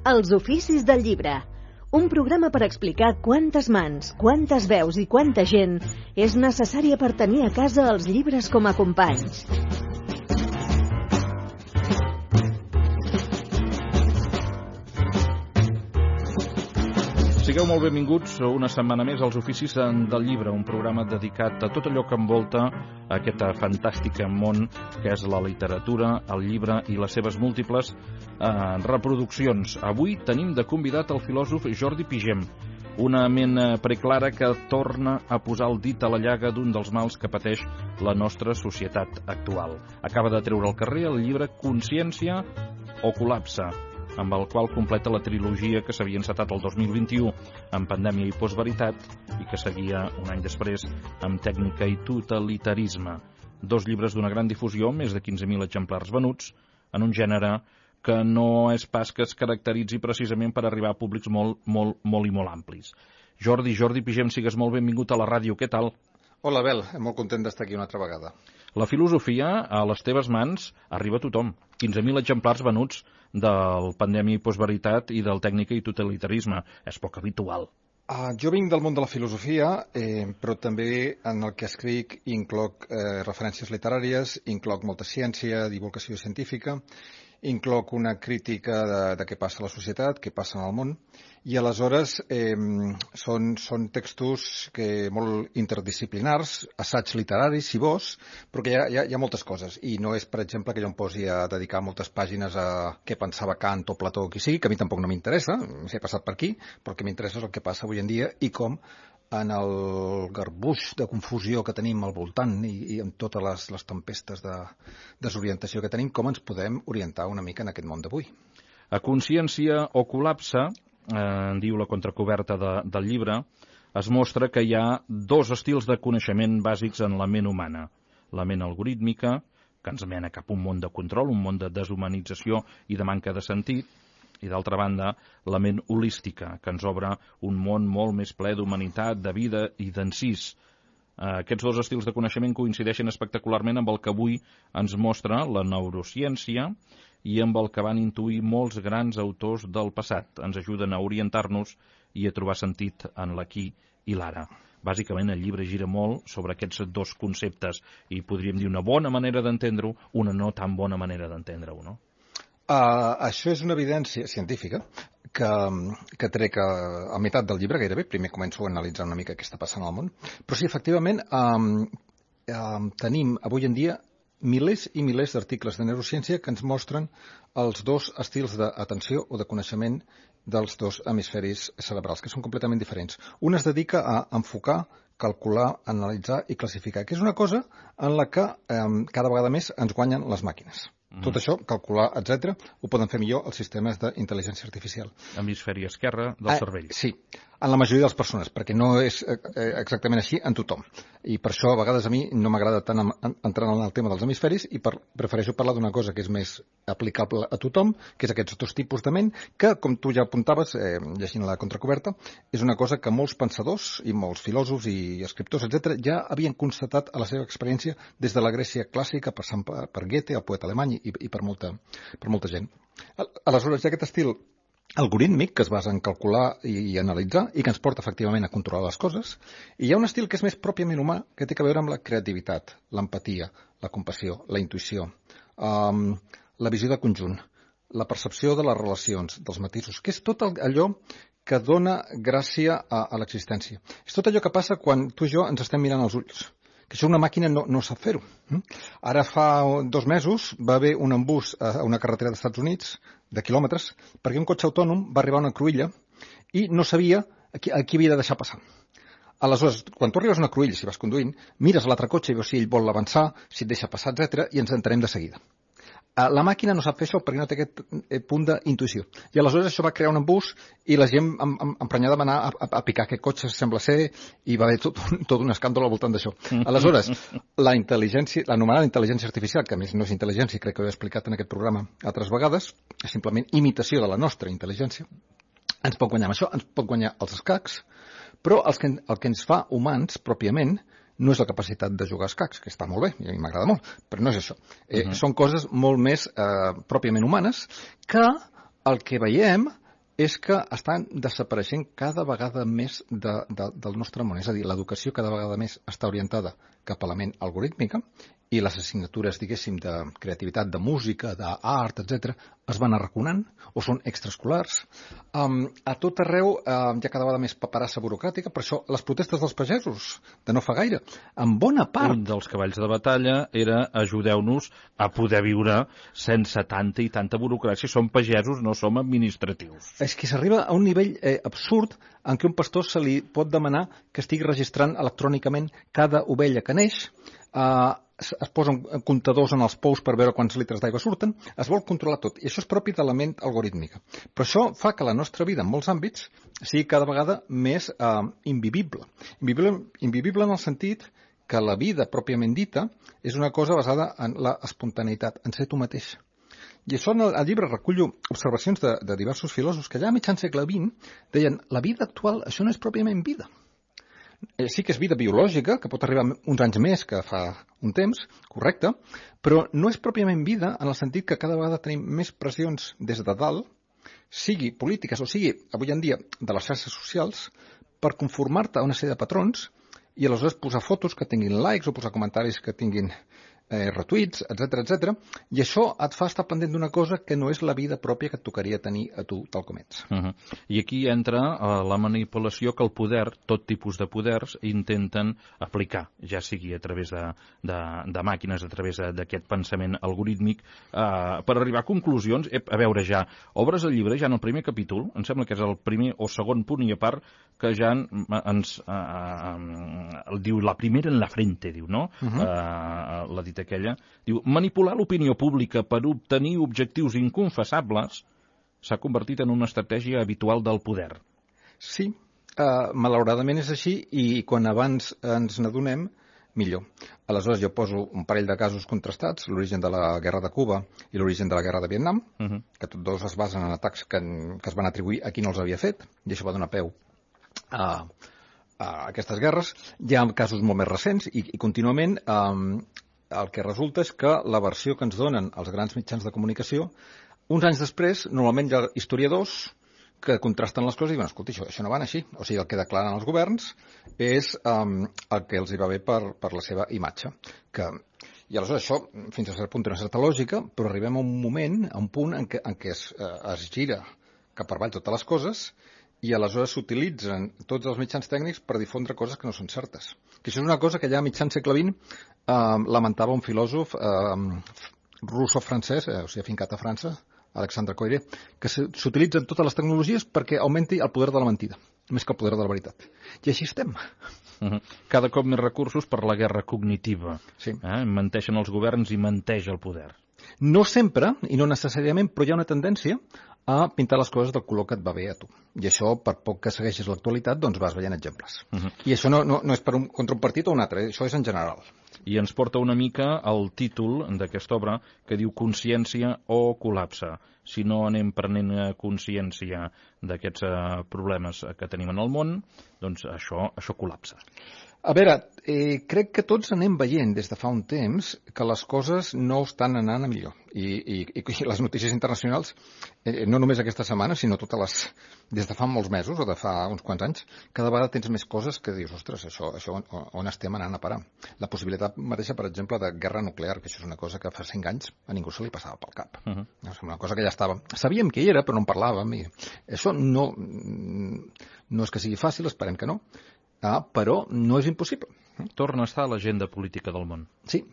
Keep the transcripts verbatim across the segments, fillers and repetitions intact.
Els oficis del llibre. Un programa per explicar quantes mans, quantes veus i quanta gent és necessària per tenir a casa els llibres com a companys. Sigueu molt benvinguts una setmana més als Oficis del Llibre, un programa dedicat a tot allò que envolta aquest fantàstic món que és la literatura, el llibre i les seves múltiples eh, reproduccions. Avui tenim de convidat el filòsof Jordi Pigem, una ment preclara que torna a posar el dit a la llaga d'un dels mals que pateix la nostra societat actual. Acaba de treure al carrer el llibre Consciència o col·lapse, amb el qual completa la trilogia que s'havia encetat el dos mil vint-i-u amb Pandèmia i Postveritat i que seguia un any després amb Tècnica i Totalitarisme. Dos llibres d'una gran difusió, més de quinze mil exemplars venuts, en un gènere que no és pas que es caracteritzi precisament per arribar a públics molt, molt, molt i molt amplis. Jordi, Jordi Pigem, sigues molt benvingut a la ràdio. Què tal? Hola, Bel. Molt content d'estar aquí una altra vegada. La filosofia, a les teves mans, arriba a tothom. quinze mil exemplars venuts del Pandèmia i Postveritat i del Tècnica i Totalitarisme. És poc habitual. Uh, jo vinc del món de la filosofia, eh, però també en el que escric incloc eh, referències literàries, incloc molta ciència, divulgació científica, incloc una crítica de, de què passa a la societat, què passa en el món, i aleshores eh, són, són textos que molt interdisciplinars, assaigs literaris, si vols, però que hi ha, hi, ha, hi ha moltes coses. I no és, per exemple, que jo em posi a dedicar moltes pàgines a què pensava Kant o Plató o qui sigui, que a mi tampoc no m'interessa, s'he passat per aquí, però el que m'interessa és el que passa avui en dia i com en el garbuix de confusió que tenim al voltant i, i amb totes les, les tempestes de desorientació que tenim, com ens podem orientar una mica en aquest món d'avui. A Consciència o col·lapse, eh, diu la contracoberta de, del llibre, es mostra que hi ha dos estils de coneixement bàsics en la ment humana. La ment algorítmica, que ens mena cap a un món de control, un món de deshumanització i de manca de sentit, i d'altra banda, la ment holística, que ens obre un món molt més ple d'humanitat, de vida i d'encís. Aquests dos estils de coneixement coincideixen espectacularment amb el que avui ens mostra la neurociència i amb el que van intuir molts grans autors del passat. Ens ajuden a orientar-nos i a trobar sentit en l'aquí i l'ara. Bàsicament, el llibre gira molt sobre aquests dos conceptes i podríem dir una bona manera d'entendre-ho, una no tan bona manera d'entendre-ho, no? Uh, això és una evidència científica que, que trec a, a meitat del llibre gairebé. Primer començo a analitzar una mica què està passant al món. Però sí, efectivament, um, um, tenim avui en dia milers i milers d'articles de neurociència que ens mostren els dos estils d'atenció o de coneixement dels dos hemisferis cerebrals, que són completament diferents. Un es dedica a enfocar, calcular, analitzar i classificar, que és una cosa en la que um, cada vegada més ens guanyen les màquines. Tot això, calcular, etcètera, ho poden fer millor els sistemes d'intel·ligència artificial. Hemisferi esquerre del ah, cervell. Sí, en la majoria de les persones, perquè no és eh, exactament així en tothom. I per això, a vegades, a mi no m'agrada tant entrar en el tema dels hemisferis i per, prefereixo parlar d'una cosa que és més aplicable a tothom, que és aquests dos tipus de ment, que, com tu ja apuntaves, eh, llegint la contracoberta, és una cosa que molts pensadors i molts filòsofs i escriptors, etcètera, ja havien constatat a la seva experiència des de la Grècia clàssica, per, per Goethe, el poeta alemany, i, i per, molta, per molta gent. Aleshores, hi ha aquest estil algorítmic que es basa en calcular i, i analitzar i que ens porta efectivament a controlar les coses, i hi ha un estil que és més pròpiament humà, que té a veure amb la creativitat, l'empatia, la compassió, la intuïció, um, la visió de conjunt, la percepció de les relacions, dels matisos, que és tot allò que dona gràcia a, a l'existència. És tot allò que passa quan tu i jo ens estem mirant als ulls, que això una màquina no, no sap fer-ho. Ara fa dos mesos va haver un embús a una carretera dels Estats Units de quilòmetres perquè un cotxe autònom va arribar a una cruïlla i no sabia a qui, a qui havia de deixar passar. Aleshores, quan tu arribes a una cruïlla, si vas conduint, mires l'altre cotxe i veus si ell vol avançar, si et deixa passar, etcètera, i ens entenem de seguida. La màquina no sap fer això perquè no té aquest punt d'intuïció. I aleshores això va crear un embús i la gent emprenyada va anar a, a, a picar aquest cotxe, sembla ser, i va haver tot, tot un escàndol al voltant d'això. Aleshores, la intel·ligència, l'anomenada intel·ligència artificial, que a més no és intel·ligència, crec que ho he explicat en aquest programa altres vegades, és simplement imitació de la nostra intel·ligència, ens pot guanyar amb això, ens pot guanyar els escacs, però el que, el que ens fa humans, pròpiament, no és la capacitat de jugar a escacs, que està molt bé, i a mi m'agrada molt, però no és això. Eh, uh-huh. Són coses molt més eh, pròpiament humanes que el que veiem és que estan desapareixent cada vegada més de, de, del nostre món. És a dir, l'educació cada vegada més està orientada cap a la ment algorítmica i les assignatures, diguéssim, de creativitat, de música, d'art, etcètera, es van arraconant o són extraescolars. Um, a tot arreu um, hi ha cada vegada més paperassa burocràtica, per això les protestes dels pagesos, de no fa gaire, en bona part... Un dels cavalls de batalla era ajudeu-nos a poder viure sense tanta i tanta burocràcia. Som pagesos, no som administratius. És que s'arriba a un nivell eh, absurd en què un pastor se li pot demanar que estigui registrant electrònicament cada ovella que neix, eh, es posen comptadors en els pous per veure quants litres d'aigua surten, es vol controlar tot, i això és propi de la ment algorítmica. Però això fa que la nostra vida en molts àmbits sigui cada vegada més eh, invivible. invivible. Invivible en el sentit que la vida pròpiament dita és una cosa basada en la espontaneïtat, en ser tu mateix. I això en el, el llibre recullo observacions de, de diversos filòsofs que ja a mitjan segle vint deien la vida actual, això no és pròpiament vida. Eh, sí que és vida biològica, que pot arribar uns anys més que fa un temps, correcte, però no és pròpiament vida en el sentit que cada vegada tenim més pressions des de dalt, sigui polítiques o sigui, avui en dia, de les xarxes socials, per conformar-te a una sèrie de patrons i aleshores posar fotos que tinguin likes o posar comentaris que tinguin eh, retuits, etcètera, etcètera, i això et fa estar pendent d'una cosa que no és la vida pròpia que et tocaria tenir a tu tal com ets. Uh -huh. I aquí entra uh, la manipulació que el poder, tot tipus de poders, intenten aplicar, ja sigui a través de, de, de màquines, a través d'aquest pensament algorítmic, uh, per arribar a conclusions. Ep, a veure, ja, obres el llibre, ja en el primer capítol, em sembla que és el primer o segon punt i a part, que ja ens uh, uh, diu la primera en la frente, diu, no? Uh -huh. uh, la dita aquella, diu, manipular l'opinió pública per obtenir objectius inconfessables s'ha convertit en una estratègia habitual del poder. Sí, uh, malauradament és així i quan abans ens n'adonem, millor. Aleshores jo poso un parell de casos contrastats, l'origen de la guerra de Cuba i l'origen de la guerra de Vietnam, uh -huh. que tots dos es basen en atacs que, en, que es van atribuir a qui no els havia fet, i això va donar peu a, a aquestes guerres. Hi ha casos molt més recents i, i contínuament um, el que resulta és que la versió que ens donen els grans mitjans de comunicació, uns anys després, normalment hi ha historiadors que contrasten les coses i diuen, escolta, això, això no va així. O sigui, el que declaren els governs és um, el que els hi va bé per, per la seva imatge. Que, I aleshores això, fins a cert punt, té una certa lògica, però arribem a un moment, a un punt en què, en què es, eh, es gira cap per avall totes les coses i aleshores s'utilitzen tots els mitjans tècnics per difondre coses que no són certes. Que això és una cosa que ja a mitjan segle vint eh, lamentava un filòsof eh, russo-francès, eh, o sigui, afincat a França, Alexandre Coiré, que s'utilitzen totes les tecnologies perquè augmenti el poder de la mentida, més que el poder de la veritat. I així estem. Uh -huh. Cada cop més recursos per la guerra cognitiva. Sí. Eh? Menteixen els governs i menteix el poder. No sempre, i no necessàriament, però hi ha una tendència a pintar les coses del color que et va bé a tu. I això, per poc que segueixis l'actualitat, doncs vas veient exemples. Uh -huh. I això no, no, no és per un, contra un partit o un altre, eh? Això és en general. I ens porta una mica al títol d'aquesta obra que diu Consciència o col·lapse. Si no anem prenent consciència d'aquests uh, problemes que tenim en el món, doncs això, això col·lapsa. A veure, eh, crec que tots anem veient des de fa un temps que les coses no estan anant a millor. I, i, i les notícies internacionals, eh, no només aquesta setmana, sinó totes les... des de fa molts mesos o de fa uns quants anys, cada vegada tens més coses que dius, ostres, això, això on, on estem anant a parar? La possibilitat mateixa, per exemple, de guerra nuclear, que això és una cosa que fa cinc anys a ningú se li passava pel cap. Uh -huh. És una cosa que ja estava... Sabíem que hi era, però no en parlàvem. I això no, no és que sigui fàcil, esperem que no, ah, però no és impossible. Torna a estar a l'agenda política del món. Sí,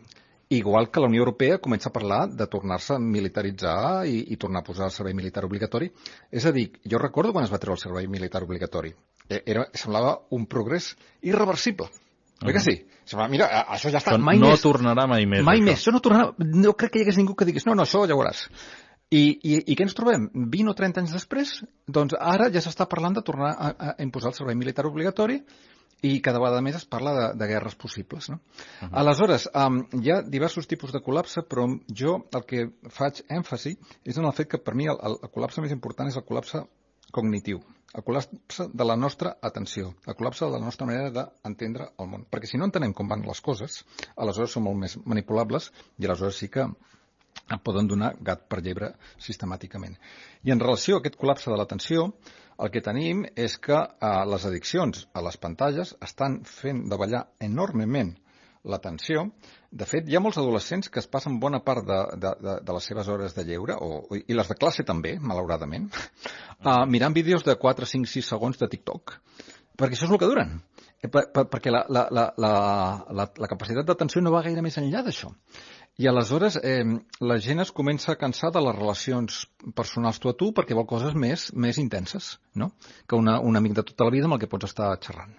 igual que la Unió Europea comença a parlar de tornar-se a militaritzar i, i tornar a posar el servei militar obligatori. És a dir, jo recordo quan es va treure el servei militar obligatori. Era, semblava un progrés irreversible. Uh-huh. Oi que sí? Semblava, mira, això ja està. Això mai no més. tornarà mai més. Mai això. més, això no tornarà. No crec que hi hagués ningú que digués, no, no, això ja ho veuràs. I, i, I què ens trobem? vint o trenta anys després, doncs ara ja s'està parlant de tornar a, a imposar el servei militar obligatori i cada vegada més es parla de, de guerres possibles, no? Uh-huh. Aleshores, um, hi ha diversos tipus de col·lapse, però jo el que faig èmfasi és en el fet que per mi el, el, el col·lapse més important és el col·lapse cognitiu, el col·lapse de la nostra atenció, el col·lapse de la nostra manera d'entendre el món. Perquè si no entenem com van les coses, aleshores són molt més manipulables i aleshores sí que poden donar gat per llebre sistemàticament. I en relació a aquest col·lapse de l'atenció, el que tenim és que eh, les addiccions a les pantalles estan fent davallar enormement l'atenció. De fet, hi ha molts adolescents que es passen bona part de, de, de, de les seves hores de lleure, o, i les de classe també, malauradament, uh, mirant vídeos de quatre, cinc, sis segons de TikTok, perquè això és el que duren. Per, per, perquè la, la, la, la, la, la capacitat d'atenció no va gaire més enllà d'això. I aleshores eh, la gent es comença a cansar de les relacions personals tu a tu perquè vol coses més, més intenses, no? Que una, un amic de tota la vida amb el que pots estar xerrant.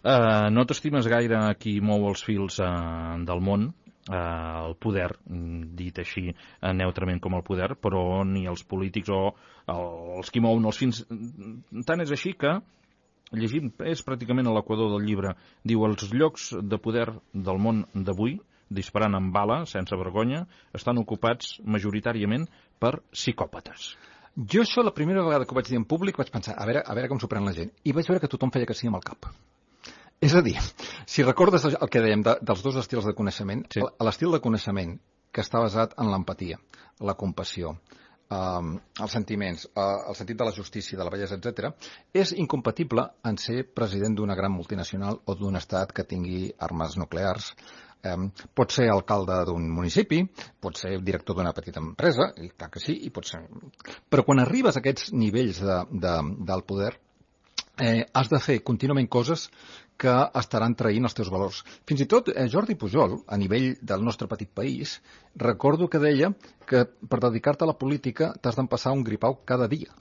Uh, no t'estimes gaire qui mou els fils uh, del món, uh, el poder, dit així uh, neutrament com el poder, però ni els polítics o uh, els qui mouen els fins. Tant és així que, llegint, és pràcticament a l'equador del llibre, diu els llocs de poder del món d'avui, disparant amb bala, sense vergonya, estan ocupats majoritàriament per psicòpates. Jo això, la primera vegada que ho vaig dir en públic, vaig pensar, a veure, a veure com s'ho pren la gent. I vaig veure que tothom feia que sí amb el cap. És a dir, si recordes el que dèiem de, dels dos estils de coneixement, sí. L'estil de coneixement que està basat en l'empatia, la compassió, um, els sentiments, uh, el sentit de la justícia, de la bellesa, etcètera, és incompatible en ser president d'una gran multinacional o d'un estat que tingui armes nuclears. Um, pot ser alcalde d'un municipi, pot ser director d'una petita empresa, i tant que sí, i pot ser... Però quan arribes a aquests nivells de, de, del poder, eh, has de fer contínuament coses que estaran traint els teus valors. Fins i tot eh, Jordi Pujol, a nivell del nostre petit país, recordo que deia que per dedicar-te a la política t'has d'empassar un gripau cada dia.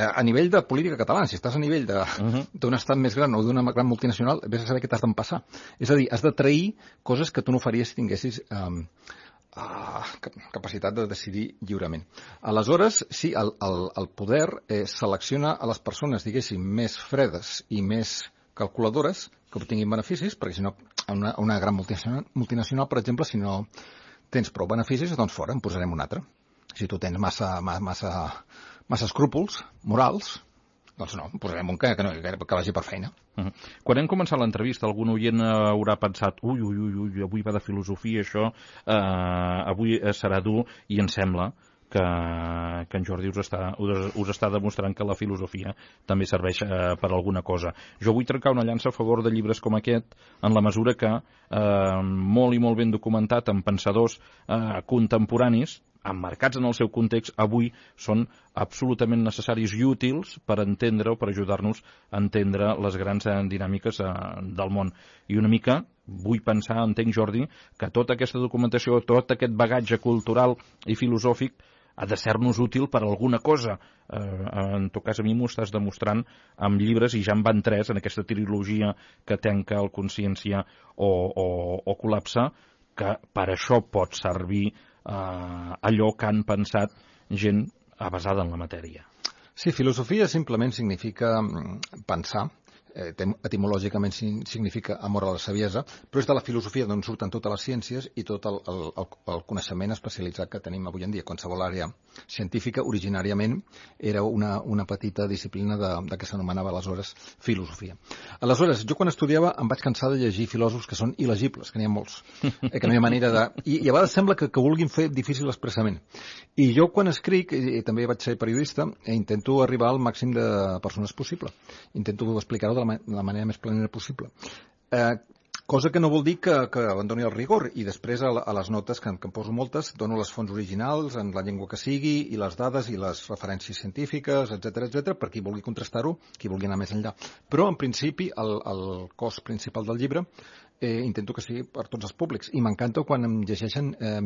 A nivell de política catalana, si estàs a nivell d'un uh-huh. estat més gran o d'una gran multinacional, vés a saber què t'has d'empassar. És a dir, has de trair coses que tu no faries si tinguessis um, uh, capacitat de decidir lliurement. Aleshores, sí, el, el, el poder eh, selecciona a les persones, diguéssim, més fredes i més calculadores que obtinguin beneficis, perquè si no, una, una gran multinacional, multinacional, per exemple, si no tens prou beneficis, doncs fora, en posarem un altre. Si tu tens massa... massa massa escrúpols morals, doncs no, posarem un que, que, no, que vagi per feina. Uh-huh. Quan hem començat l'entrevista, algun oient haurà pensat ui, ui, ui, ui, avui va de filosofia, això, eh, avui serà dur, i em sembla que, que en Jordi us està, us, us està demostrant que la filosofia també serveix eh, per alguna cosa. Jo vull trencar una llança a favor de llibres com aquest, en la mesura que, eh, molt i molt ben documentat, amb pensadors eh, contemporanis, emmarcats en el seu context, avui són absolutament necessaris i útils per entendre o per ajudar-nos a entendre les grans dinàmiques eh, del món. I una mica vull pensar, entenc, Jordi, que tota aquesta documentació, tot aquest bagatge cultural i filosòfic ha de ser-nos útil per alguna cosa. Eh, en tot cas, a mi m'ho estàs demostrant amb llibres, i ja en van tres, en aquesta trilogia que tanca el Consciència o, o, o Col·lapse, que per això pot servir Uh, allò que han pensat gent basada en la matèria. Sí, filosofia simplement significa pensar, eh, etimològicament significa amor a la saviesa, però és de la filosofia d'on surten totes les ciències i tot el, el, el coneixement especialitzat que tenim avui en dia. Qualsevol àrea científica originàriament era una, una petita disciplina de, de que s'anomenava aleshores filosofia. Aleshores, jo quan estudiava em vaig cansar de llegir filòsofs que són il·legibles, que n'hi ha molts, eh, que no hi ha manera de... I, i a vegades sembla que, que vulguin fer difícil l'expressament. I jo quan escric, i, i també vaig ser periodista, eh, intento arribar al màxim de persones possible. Intento explicar-ho de la, de la manera més planera possible. Eh, cosa que no vol dir que, que abandoni el rigor, i després a, a les notes, que, que em poso moltes, dono les fonts originals en la llengua que sigui, i les dades i les referències científiques, etcètera, etcètera, per qui vulgui contrastar-ho, qui vulgui anar més enllà. Però, en principi, el, el cos principal del llibre eh, intento que sigui per tots els públics, i m'encanta quan em llegeixen eh,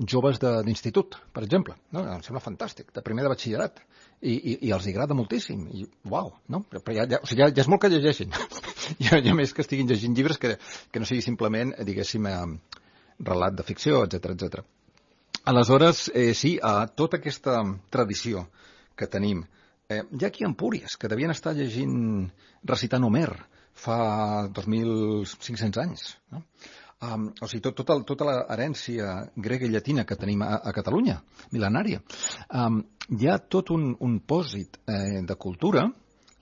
joves d'institut, per exemple, no? Em sembla fantàstic, de primer de batxillerat, i, i, i els agrada moltíssim, i uau, no? Però ja, ja, o sigui, ja, ja és molt que llegeixin, ja, ja més que estiguin llegint llibres que, que no sigui simplement, diguéssim, eh, relat de ficció, etcètera, etcètera. Aleshores, eh, sí, a tota aquesta tradició que tenim, eh, hi ha aquí Empúries, que devien estar llegint, recitant Homer, fa dos mil cinc-cents anys, no? Um, o sigui, tot, tota, tota l'herència grega i llatina que tenim a, a Catalunya, mil·lenària. Um, hi ha tot un, un pòsit eh, de cultura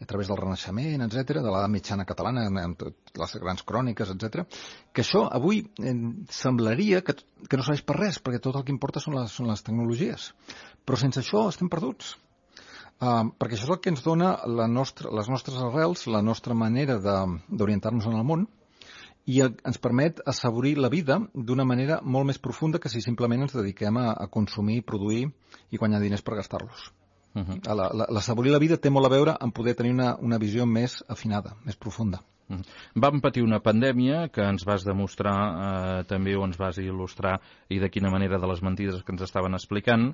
a través del Renaixement, etcètera, de l'edat mitjana catalana, amb tot les grans cròniques, etcètera, que això avui eh, semblaria que, que no serveix per res, perquè tot el que importa són les, són les tecnologies. Però sense això estem perduts. Uh, perquè això és el que ens dona la nostra, les nostres arrels, la nostra manera d'orientar-nos en el món, i ens permet assaborir la vida d'una manera molt més profunda que si simplement ens dediquem a, a consumir, produir i guanyar diners per gastar-los. Uh-huh. La, la, l'assaborir la vida té molt a veure amb poder tenir una, una visió més afinada, més profunda. Uh-huh. Vam patir una pandèmia que ens vas demostrar eh, també, o ens vas il·lustrar, i de quina manera, de les mentides que ens estaven explicant.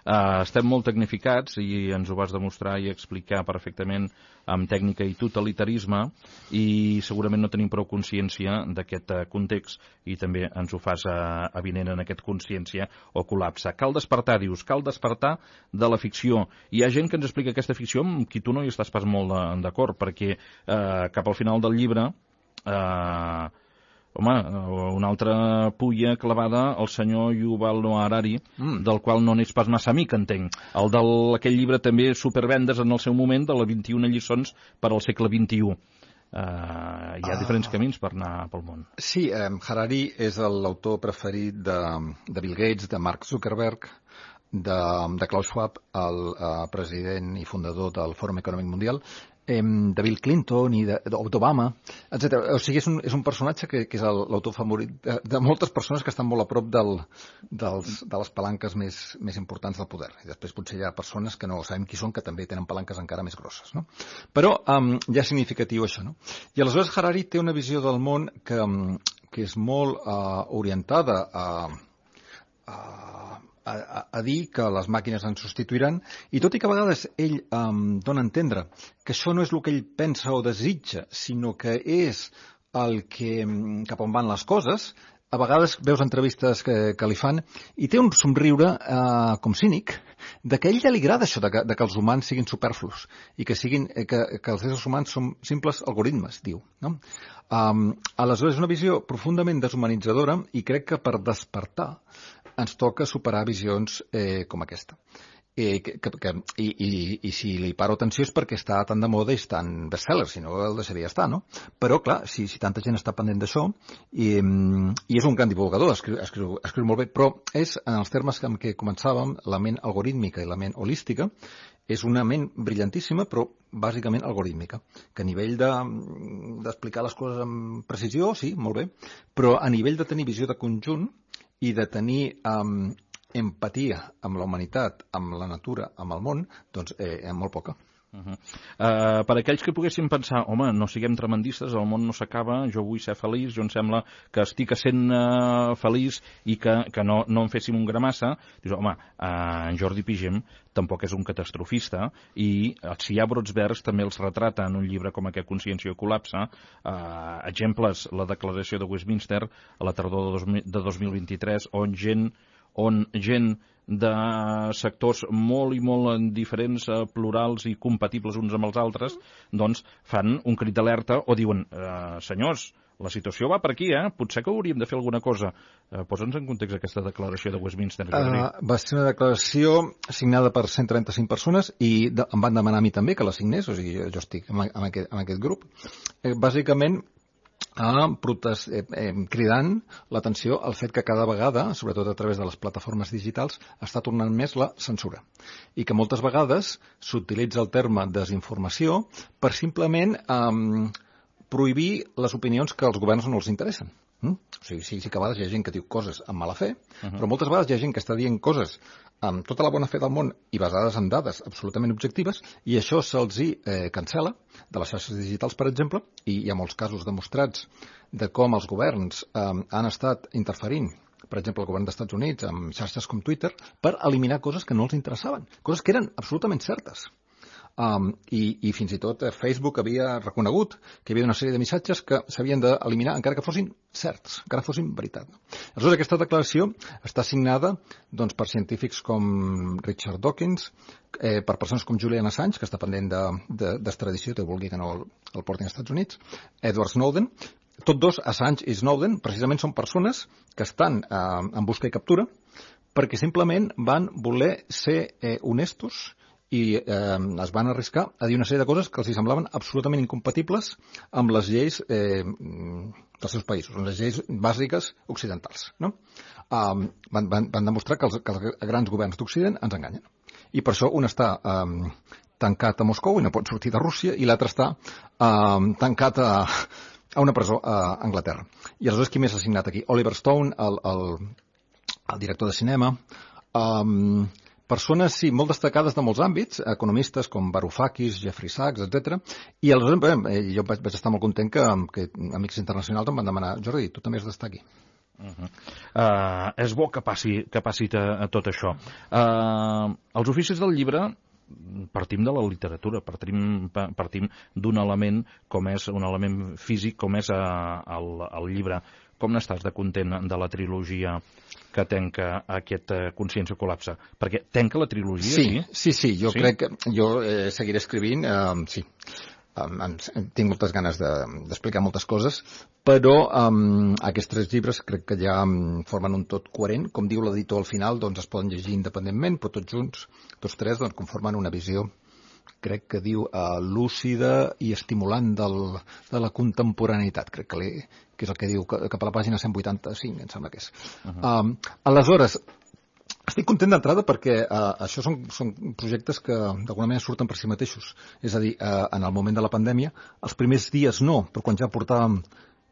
Uh, estem molt tecnificats i ens ho vas demostrar i explicar perfectament amb tècnica i totalitarisme, i segurament no tenim prou consciència d'aquest uh, context, i també ens ho fas uh, evident en aquest consciència o col·lapse. Cal despertar, dius, cal despertar de la ficció. Hi ha gent que ens explica aquesta ficció amb qui tu no hi estàs pas molt d'acord, perquè uh, cap al final del llibre uh, home, una altra pulla clavada al senyor Yuval Noah Harari, mm. del qual no n'és pas massa amic, entenc. El d'aquell llibre també supervendes en el seu moment, de les vint-i-una lliçons per al segle vint-i-u. Uh, hi ha ah. diferents camins per anar pel món. Sí, eh, Harari és l'autor preferit de, de Bill Gates, de Mark Zuckerberg, de, de Klaus Schwab, el uh, president i fundador del Fòrum Econòmic Mundial, de Bill Clinton i d'Obama, etcètera. O sigui, és un, és un personatge que, que és l'autor favorit de, de moltes persones que estan molt a prop del, dels, de les palanques més, més importants del poder. I després potser hi ha persones que no sabem qui són, que també tenen palanques encara més grosses, no? Però um, ja és significatiu això, no? I aleshores Harari té una visió del món que, que és molt uh, orientada a... a A, a dir que les màquines ens substituiran, i tot i que a vegades ell um, dona a entendre que això no és el que ell pensa o desitja, sinó que és el que, cap on van les coses, a vegades veus entrevistes que, que li fan i té un somriure uh, com cínic, de que a ell ja li agrada això de que, de que els humans siguin superflus i que, siguin, que, que els éssers humans són simples algoritmes, diu, no? Um, aleshores és una visió profundament deshumanitzadora, i crec que per despertar ens toca superar visions eh, com aquesta. Eh, que, que, i, i, I si li paro atenció és perquè està tan de moda i és tan bestseller, si no el deixaria estar, no? Però, clar, si, si tanta gent està pendent d'això, i, i és un gran divulgador, escriu, escriu, escriu molt bé, però és, en els termes amb què començàvem, la ment algorítmica i la ment holística, és una ment brillantíssima, però bàsicament algorítmica, que a nivell de, d'explicar les coses amb precisió, sí, molt bé, però a nivell de tenir visió de conjunt i de tenir um, empatia amb la humanitat, amb la natura, amb el món, doncs eh, molt poca. Uh -huh. uh, per aquells que poguessin pensar, home, no siguem tremendistes, el món no s'acaba, jo vull ser feliç, jo em sembla que estic sent uh, feliç i que, que no, no en féssim un gramassa, dius, home, uh, en Jordi Pigem tampoc és un catastrofista, i si hi ha brots verds també els retrata en un llibre com aquest, Consciència o col·lapse. Uh, exemples, la declaració de Westminster a la tardor de, dos mil, de dos mil vint-i-tres, on gent on gent de sectors molt i molt diferents, plurals i compatibles uns amb els altres, doncs fan un crit d'alerta o diuen, eh, senyors, la situació va per aquí, eh? Potser que hauríem de fer alguna cosa. Eh, Posa'ns en context aquesta declaració de Westminster. Uh, va ser una declaració signada per cent trenta-cinc persones i de, em van demanar a mi també que la signés, o sigui, jo, jo estic en, en, aquest, en aquest grup. Eh, bàsicament, a protest, eh, eh, cridant l'atenció al fet que cada vegada, sobretot a través de les plataformes digitals, està tornant més la censura. I que moltes vegades s'utilitza el terme desinformació per simplement eh, prohibir les opinions que als governs no els interessen. Mm? O sigui, sí, sí que a vegades hi ha gent que diu coses amb mala fe, uh-huh. però moltes vegades hi ha gent que està dient coses amb tota la bona fe del món i basades en dades absolutament objectives, i això se'ls eh, cancel·la de les xarxes digitals, per exemple, i hi ha molts casos demostrats de com els governs eh, han estat interferint, per exemple, el govern dels Estats Units, amb xarxes com Twitter, per eliminar coses que no els interessaven, coses que eren absolutament certes. Um, i, i fins i tot eh, Facebook havia reconegut que hi havia una sèrie de missatges que s'havien d'eliminar encara que fossin certs, encara que fossin veritat. Aleshores, aquesta declaració està signada doncs, per científics com Richard Dawkins, eh, per persones com Julian Assange, que està pendent d'extradició, de, de, vulgui que no el, el portin als Estats Units, Edward Snowden. Tots dos, Assange i Snowden, precisament són persones que estan eh, en busca i captura perquè simplement van voler ser eh, honestos i eh, es van arriscar a dir una sèrie de coses que els semblaven absolutament incompatibles amb les lleis eh, dels seus països, amb les lleis bàsiques occidentals. No? Um, van, van, van demostrar que els, que els grans governs d'Occident ens enganyen. I per això un està um, tancat a Moscou i no pot sortir de Rússia, i l'altre està um, tancat a, a una presó a Anglaterra. I aleshores qui més ha signat aquí? Oliver Stone, el, el, el director de cinema, um, persones, sí, molt destacades de molts àmbits, economistes com Varoufakis, Jeffrey Sachs, etcètera. I aleshores bé, jo vaig, vaig estar molt content que, que amics internacionals em van demanar: Jordi, tu també has d'estar aquí. Uh -huh. uh, és bo que passi, que passi a, a tot això. Uh, els oficis del llibre partim de la literatura, partim, partim d'un element com és un element físic com és uh, el, el llibre. Com n'estàs de content de la trilogia que tenca aquest uh, Consciència col·lapse? Perquè tenca la trilogia, sí? Sí, sí, sí. Jo sí? crec que jo eh, seguiré escrivint, eh, sí. Um, tinc moltes ganes d'explicar de, moltes coses, però um, aquests tres llibres crec que ja um, formen un tot coherent. Com diu l'editor al final, doncs es poden llegir independentment, però tots junts, tots tres, doncs conformen una visió, crec que diu, uh, lúcida i estimulant del, de la contemporaneïtat, crec que, li, que és el que diu cap a la pàgina cent vuitanta-cinc, em sembla que és. Uh -huh. um, aleshores, estic content d'entrada perquè uh, això són, són projectes que d'alguna manera surten per si mateixos. És a dir, uh, en el moment de la pandèmia, els primers dies no, però quan ja portàvem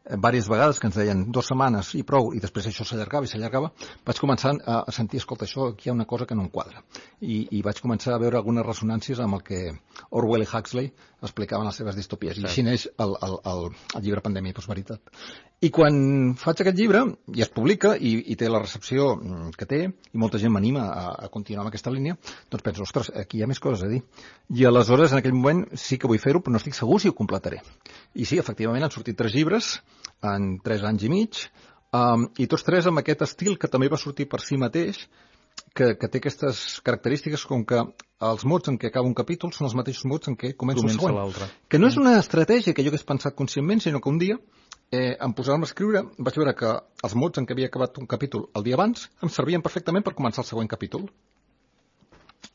diverses vegades que ens deien dues setmanes i prou, i després això s'allargava i s'allargava, vaig començar a sentir, escolta, això aquí hi ha una cosa que no em quadra. I, i vaig començar a veure algunes ressonàncies amb el que Orwell i Huxley explicaven les seves distopies. Sí. I així neix el, el, el, el llibre Pandèmia i Postveritat. I quan faig aquest llibre, i es publica, i, i té la recepció que té, i molta gent m'anima a, a continuar amb aquesta línia, doncs penso, ostres, aquí hi ha més coses a dir. I aleshores, en aquell moment, sí que vull fer-ho, però no estic segur si ho completaré. I sí, efectivament, han sortit tres llibres en tres anys i mig, um, i tots tres amb aquest estil que també va sortir per si mateix, que, que té aquestes característiques com que els mots en què acaba un capítol són els mateixos mots en què comença, comença el següent. Que no és una estratègia que jo hagués pensat conscientment, sinó que un dia, eh, em posàvem a escriure, vaig veure que els mots en què havia acabat un capítol el dia abans em servien perfectament per començar el següent capítol.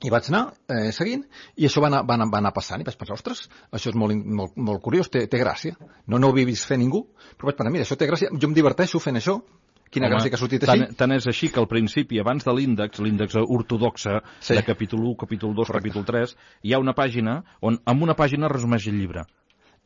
I vaig anar eh, seguint, i això va anar, va, anar, va anar passant, i vaig pensar, ostres, això és molt, molt, molt curiós, té, té gràcia. No, no ho havia vist fer ningú, però vaig pensar, mira, això té gràcia, jo em diverteixo fent això, quina Home, gràcia que ha sortit així. Tant, tant és així que al principi, abans de l'índex, l'índex ortodoxa, sí, de capítol u, capítol dos, Correcte. capítol tres, hi ha una pàgina on amb una pàgina resumeix el llibre.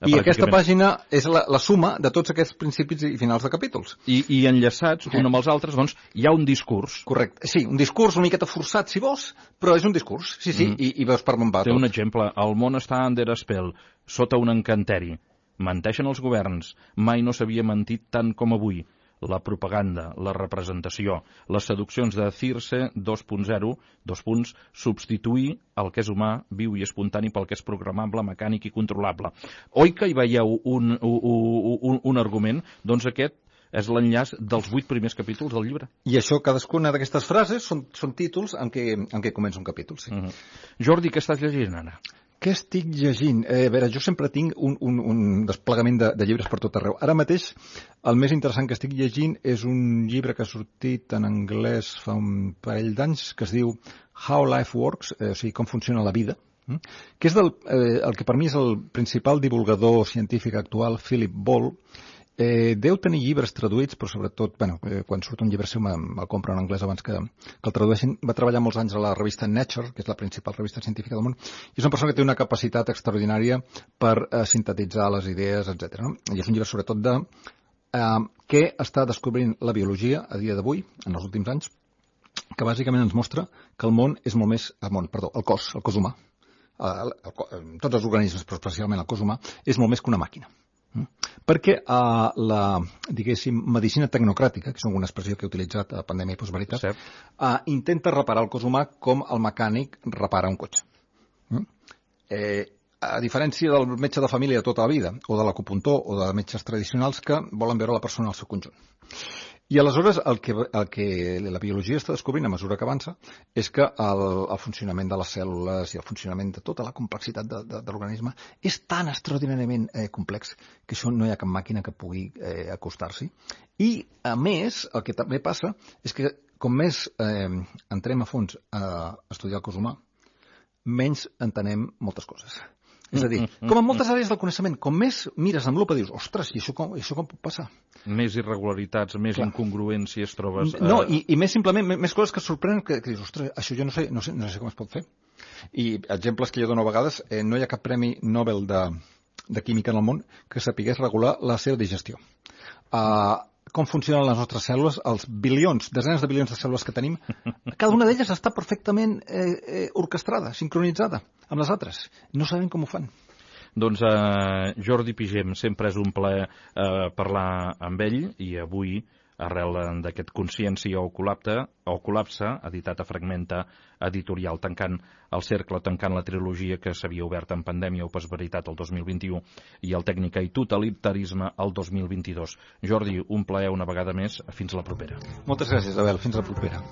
I aquesta pàgina és la, la suma de tots aquests principis i finals de capítols. I, i enllaçats, un amb els altres, doncs, hi ha un discurs. Correcte. Sí, un discurs una miqueta forçat, si vols, però és un discurs. Sí, sí, mm. i, i veus per on va Té tot. un exemple. El món està under spell, sota un encanteri. Menteixen els governs. Mai no s'havia mentit tant com avui. La propaganda, la representació, les seduccions de Circe dos punt zero, dos punts, substituir el que és humà, viu i espontani pel que és programable, mecànic i controlable. Oi que hi veieu un, un, un, un argument? Doncs aquest és l'enllaç dels vuit primers capítols del llibre. I això, cadascuna d'aquestes frases són, són títols en què, en què comença un capítol, sí. Uh -huh. Jordi, què estàs llegint ara? Què estic llegint? Eh, a veure, jo sempre tinc un, un, un desplegament de, de llibres per tot arreu. Ara mateix, el més interessant que estic llegint és un llibre que ha sortit en anglès fa un parell d'anys, que es diu How Life Works, eh, o sigui, com funciona la vida, eh? que és del, eh, el que per mi és el principal divulgador científic actual, Philip Ball. Eh, deu tenir llibres traduïts, però sobretot, bueno, eh, quan surt un llibre seu me'l compro en anglès abans que, que el tradueixin. Va treballar molts anys a la revista Nature, que és la principal revista científica del món, i és una persona que té una capacitat extraordinària per eh, sintetitzar les idees, etcètera. No? I és un llibre sobretot de eh, què està descobrint la biologia a dia d'avui, en els últims anys, que bàsicament ens mostra que el món és molt més... El món, perdó, el cos, el cos humà, el, el, el, tots els organismes, però especialment el cos humà, és molt més que una màquina. Perquè uh, la, diguéssim, medicina tecnocràtica, que és una expressió que he utilitzat a Pandèmia i Postveritat, uh, intenta reparar el cos humà com el mecànic repara un cotxe. Mm? Eh, a diferència del metge de família de tota la vida, o de l'acupuntor, o de metges tradicionals que volen veure la persona al seu conjunt. I aleshores el que, el que la biologia està descobrint a mesura que avança és que el, el funcionament de les cèl·lules i el funcionament de tota la complexitat de, de, de l'organisme és tan extraordinàriament eh, complex que això no hi ha cap màquina que pugui eh, acostar-s'hi. I, a més, el que també passa és que com més eh, entrem a fons a estudiar el cos humà, menys entenem moltes coses. És a dir, com en moltes àrees del coneixement, com més mires amb lupa dius, ostres, i això com, i això com pot passar? Més irregularitats, més Clar. incongruències trobes... Eh... No, i, i més simplement, més coses que et sorprenen, que, que dius, ostres, això jo no sé, no sé, no sé com es pot fer. I exemples que jo dono a vegades, eh, no hi ha cap premi Nobel de, de química en el món que sapigués regular la seva digestió. Uh, com funcionen les nostres cèl·lules, els bilions, desenes de bilions de cèl·lules que tenim, cada una d'elles està perfectament eh, eh, orquestrada, sincronitzada amb les altres. No sabem com ho fan. Doncs eh, Jordi Pigem, sempre és un plaer eh, parlar amb ell, i avui, arrel d'aquest Consciència o col·lapse, o col·lapse, editat a Fragmenta Editorial, tancant el cercle, tancant la trilogia que s'havia obert en Pandèmia o Postveritat el dos mil vint-i-u i el Tècnica i Totalitarisme el dos mil vint-i-dos. Jordi, un plaer una vegada més. Fins la propera. Moltes gràcies, Abel. Fins la propera.